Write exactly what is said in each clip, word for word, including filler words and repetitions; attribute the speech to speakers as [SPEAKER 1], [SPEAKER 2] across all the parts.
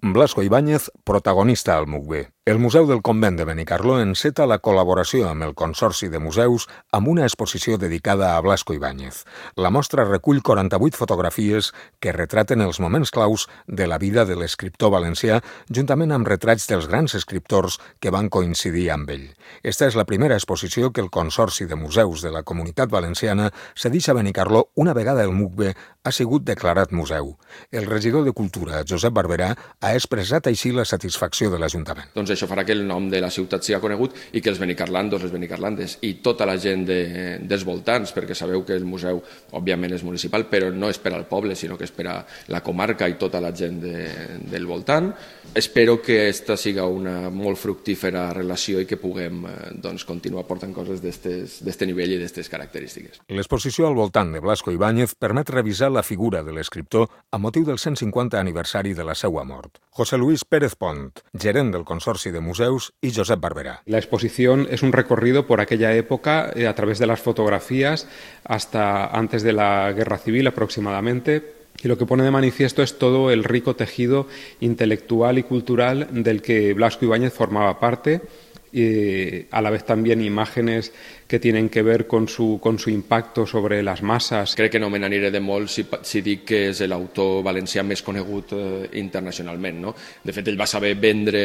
[SPEAKER 1] Blasco Ibáñez, protagonista al M U C B. El Museu del Convent de Benicarló enceta la col·laboració amb el Consorci de Museus amb una exposició dedicada a Blasco Ibáñez. La mostra recull quaranta-vuit fotografies que retraten els moments claus de la vida de l'escriptor valencià, juntament amb retrats dels grans escriptors que van coincidir amb ell. Esta és la primera exposició que el Consorci de Museus de la Comunitat Valenciana cedeix a Benicarló una vegada el M U C B ha sigut declarat museu. El regidor de Cultura, Josep Barberà, ha expressat així la satisfacció de l'Ajuntament.
[SPEAKER 2] Doncs això farà que el nom de la ciutat sigui conegut i que els benicarlandos, les benicarlandes i tota la gent de, dels voltants, perquè sabeu que el museu, òbviament, és municipal, però no és per al poble, sinó que és per a la comarca i tota la gent de, del voltant. Espero que aquesta siga una molt fructífera relació i que puguem doncs, continuar portant coses d'aquest nivell i d'aquestes característiques.
[SPEAKER 1] L'exposició al voltant de Blasco Ibáñez permet revisar la figura de l'escriptor a motiu del cent cinquanta aniversari de la seva mort. José Luis Pérez Pont, gerent del Consorci de Museus, y Josep Barberà.
[SPEAKER 3] La exposición es un recorrido por aquella época eh, a través de las fotografías hasta antes de la Guerra Civil aproximadamente. Y lo que pone de manifiesto es todo el rico tejido intelectual y cultural del que Blasco Ibáñez formaba parte, y a la vez también imágenes que tienen que ver con su, con su impacto sobre las masas.
[SPEAKER 2] Crec que no me n'aniré de molt si, si dic que és l'autor valencià més conegut eh, internacionalment. No? De fet, ell va saber vendre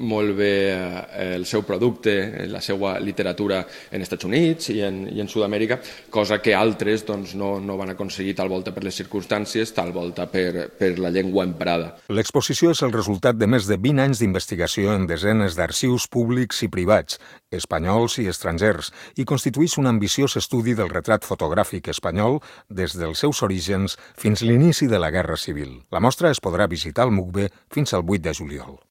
[SPEAKER 2] molt bé eh, el seu producte, la seva literatura en Estats Units i en, i en Sud-amèrica, cosa que altres doncs, no, no van aconseguir tal volta per les circumstàncies, tal volta per, per la llengua emprada.
[SPEAKER 1] L'exposició és el resultat de més de vint anys d'investigació en desenes d'arxius públics i privats, espanyols i estrangers, i constitueix un ambiciós estudi del retrat fotogràfic espanyol des dels seus orígens fins l'inici de la Guerra Civil. La mostra es podrà visitar al M U C B fins al vuit de juliol.